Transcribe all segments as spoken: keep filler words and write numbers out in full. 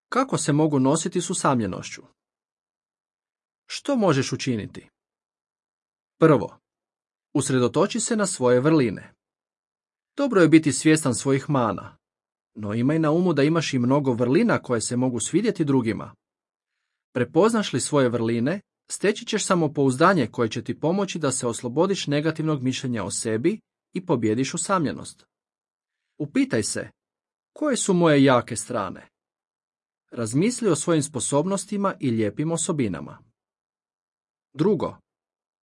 Kako se mogu nositi s usamljenošću? Što možeš učiniti? Prvo, usredotoči se na svoje vrline. Dobro je biti svjestan svojih mana, no imaj na umu da imaš i mnogo vrlina koje se mogu svidjeti drugima. Prepoznaš li svoje vrline, steći ćeš samopouzdanje koje će ti pomoći da se oslobodiš negativnog mišljenja o sebi i pobjediš usamljenost. Upitaj se, koje su moje jake strane? Razmisli o svojim sposobnostima i lijepim osobinama. Drugo,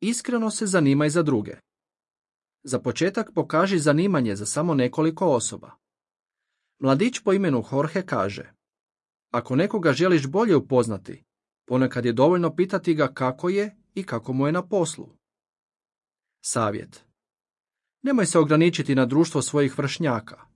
iskreno se zanimaj za druge. Za početak pokaži zanimanje za samo nekoliko osoba. Mladić po imenu Jorge kaže: ako nekoga želiš bolje upoznati, ponekad je dovoljno pitati ga kako je i kako mu je na poslu. Savjet: nemoj se ograničiti na društvo svojih vršnjaka.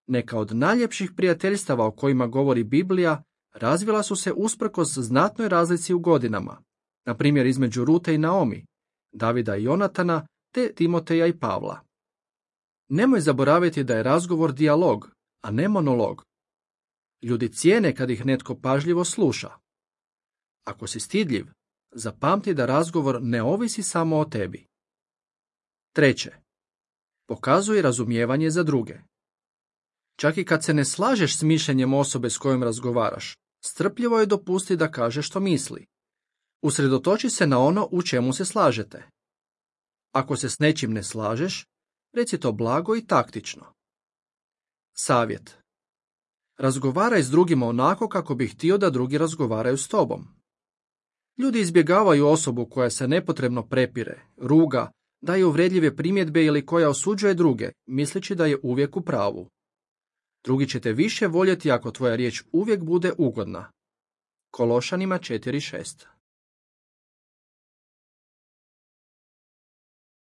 Neka od najljepših prijateljstava o kojima govori Biblija razvila su se usprkos znatnoj razlici u godinama, na primjer između Rute i Naomi, Davida i Jonatana, te Timoteja i Pavla. Nemoj zaboraviti da je razgovor dijalog, a ne monolog. Ljudi cijene kad ih netko pažljivo sluša. Ako si stidljiv, zapamti da razgovor ne ovisi samo o tebi. Treće, pokazuj razumijevanje za druge. Čak i kad se ne slažeš s mišljenjem osobe s kojom razgovaraš, strpljivo je dopusti da kaže što misli. Usredotoči se na ono u čemu se slažete. Ako se s nečim ne slažeš, reci to blago i taktično. Savjet: razgovaraj s drugima onako kako bi htio da drugi razgovaraju s tobom. Ljudi izbjegavaju osobu koja se nepotrebno prepire, ruga, daje uvredljive primjedbe ili koja osuđuje druge, misleći da je uvijek u pravu. Drugi će te više voljeti ako tvoja riječ uvijek bude ugodna. Kološanima četiri šest.